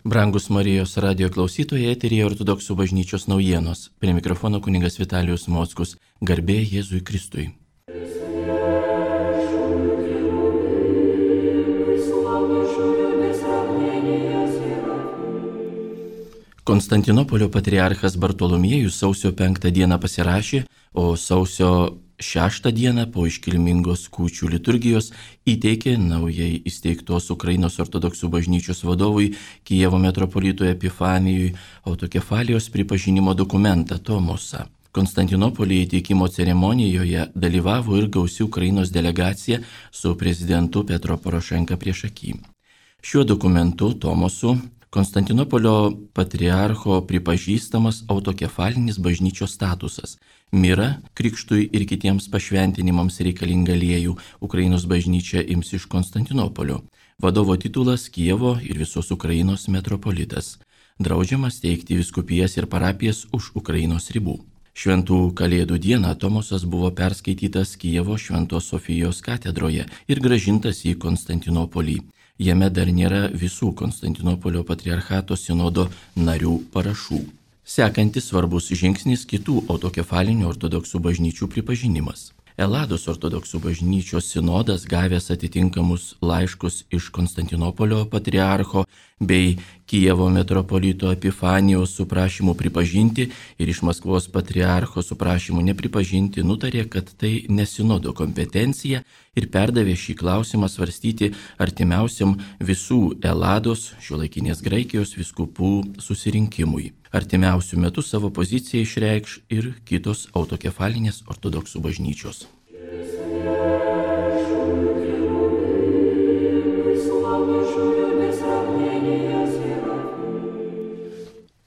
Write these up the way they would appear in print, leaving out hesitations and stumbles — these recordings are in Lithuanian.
Brangus Marijos radio klausytojai, eteryje Ortodoksų bažnyčios naujienos. Prie mikrofono kunigas Vitalijus Mockus. Garbė Jėzui Kristui. Konstantinopolio patriarchas Bartolomiejus sausio 5 dieną pasirašė, o sausio 6 dieną po iškilmingos kūčių liturgijos įteikė naujai įsteigtos Ukrainos ortodoksų bažnyčios vadovui Kijevo metropolitui Epifanijui autokefalijos pripažinimo dokumentą Tomosą. Konstantinopolyje įteikimo ceremonijoje dalyvavo ir gausi Ukrainos delegacija su prezidentu Petro Porošenka priešaky. Šiuo dokumentu Tomosu Konstantinopolio patriarcho pripažįstamas autokefalinis bažnyčios statusas. Mira, krikštui ir kitiems pašventinimams reikalinga aliejų Ukrainos bažnyčia ims iš Konstantinopolio. Vadovo titulas Kijevo ir visos Ukrainos metropolitas. Draudžiama steigti vyskupijas ir parapijas už Ukrainos ribų. Šventų Kalėdų dieną Tomosas buvo perskaitytas Kijevo Šventos Sofijos katedroje ir grąžintas į Konstantinopolį. Jame dar nėra visų Konstantinopolio patriarchato sinodo narių parašų. Sekantis svarbus žingsnis kitų autokefalinių ortodoksų bažnyčių pripažinimas. Elados ortodoksų bažnyčios sinodas gavęs atitinkamus laiškus iš Konstantinopolio patriarcho bei Kijevo metropolito Epifanijos su prašymu pripažinti ir iš Maskvos patriarcho su prašymu nepripažinti nutarė, kad tai ne sinodo kompetencija ir perdavė šį klausimą svarstyti artimiausiam visų Elados, šiuolaikinės Graikijos vyskupų susirinkimui. Artimiausių metų savo poziciją išreikš ir kitos autokefalinės ortodoksų bažnyčios.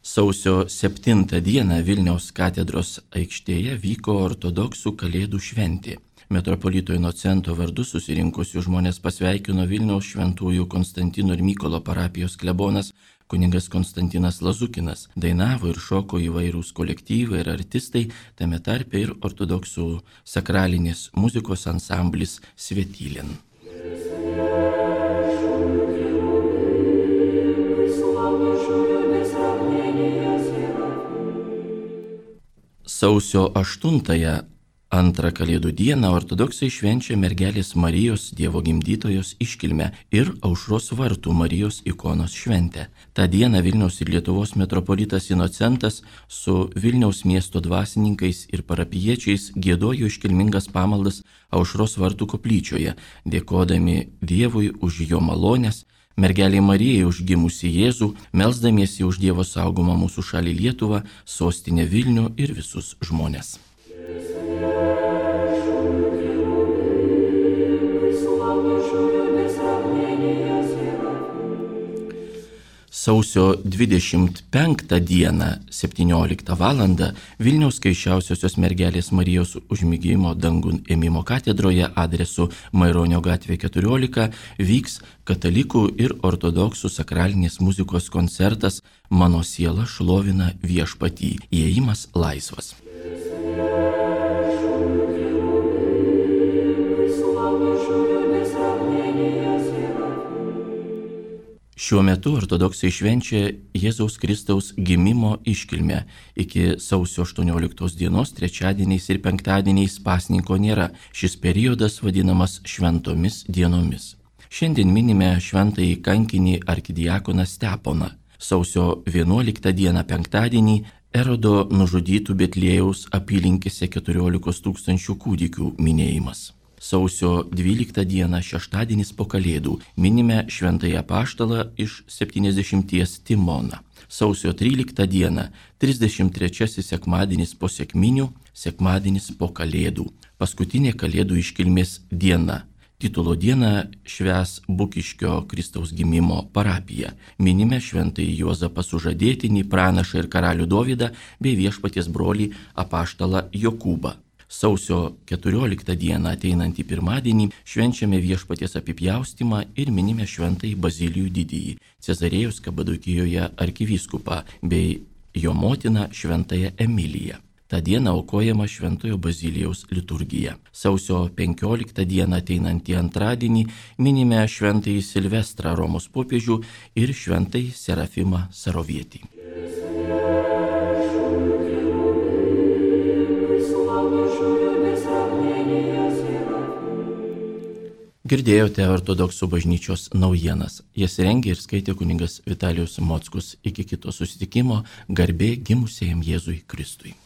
Sausio 7 dieną Vilniaus katedros aikštėje vyko ortodoksų Kalėdų šventė. Metropolito Inocento vardu susirinkusių žmonės pasveikino Vilniaus šventųjų Konstantino ir Mykolo parapijos klebonas kunigas Konstantinas Lazukinas. Dainavo ir šoko įvairūs kolektyvai ir artistai, tame tarpe ir ortodoksų sakralinės muzikos ansamblis Svetylin. Sausio 8 antrą Kalėdų dieną ortodoksai švenčia mergelės Marijos Dievo gimdytojos iškilmę ir Aušros vartų Marijos ikonos šventę. Ta diena Vilniaus ir Lietuvos metropolitas Inocentas su Vilniaus miesto dvasininkais ir parapijiečiais giedojo iškilmingas pamaldas Aušros vartų koplyčioje, dėkodami Dievui už jo malonės, mergelei Marijai už gimusį Jėzų, melsdamiesi už Dievo saugomą mūsų šalį Lietuvą, sostinę Vilnių ir visus žmones. Sausio 25 dieną 17 val. Vilniaus Skaisčiausiosios mergelės Marijos užmigimo dangun ėmimo katedroje adresu Maironio gatvė 14 vyks katalikų ir ortodoksų sakralinės muzikos koncertas Mano siela šlovina viešpatį. Įėjimas laisvas. Šiuo metu ortodoksai švenčia Jėzaus Kristaus gimimo iškilmę. Iki sausio 18 dienos trečiadieniais ir penktadieniais pasninko nėra. Šis periodas vadinamas šventomis dienomis. Šiandien minime šventąjį kankinį arkidiakoną Steponą. Sausio 11 dieną penktadienį Erodo nužudytų Betliejaus apylinkėse 14 000 kūdikių minėjimas. Sausio 12 dieną šeštadienis po Kalėdų minime šventąjį apaštalą iš 70 Timoną. Sausio 13 dieną 33 sekmadienis po sekminių, sekmadienis po Kalėdų. Paskutinė Kalėdų iškilmės diena. Titulo dieną švęs Bukiškio Kristaus gimimo parapija. Minime šventąjį Juozapą Sužadėtinį, pranašą ir karalių Dovydą bei viešpaties brolį apaštalą Jokūbą. Sausio 14 dieną ateinantį pirmadienį švenčiame viešpaties apipjaustymą ir minime šventąjį Bazilijų didįjį, Cezarėjos Kapadokijoje arkivyskupą bei jo motiną šventąją Emiliją. Ta diena aukojama Šventojo Bazilijaus liturgija. Sausio 15 dieną ateinantį antradienį minime Šventąjį Silvestrą Romos popiežių ir Šventąjį Serafimą Sarovietį. Girdėjote ortodoksų bažnyčios naujienas. Jas rengė ir skaitė kunigas Vitalijus Mockus. Iki kito susitikimo, garbė gimusiajam Jėzui Kristui.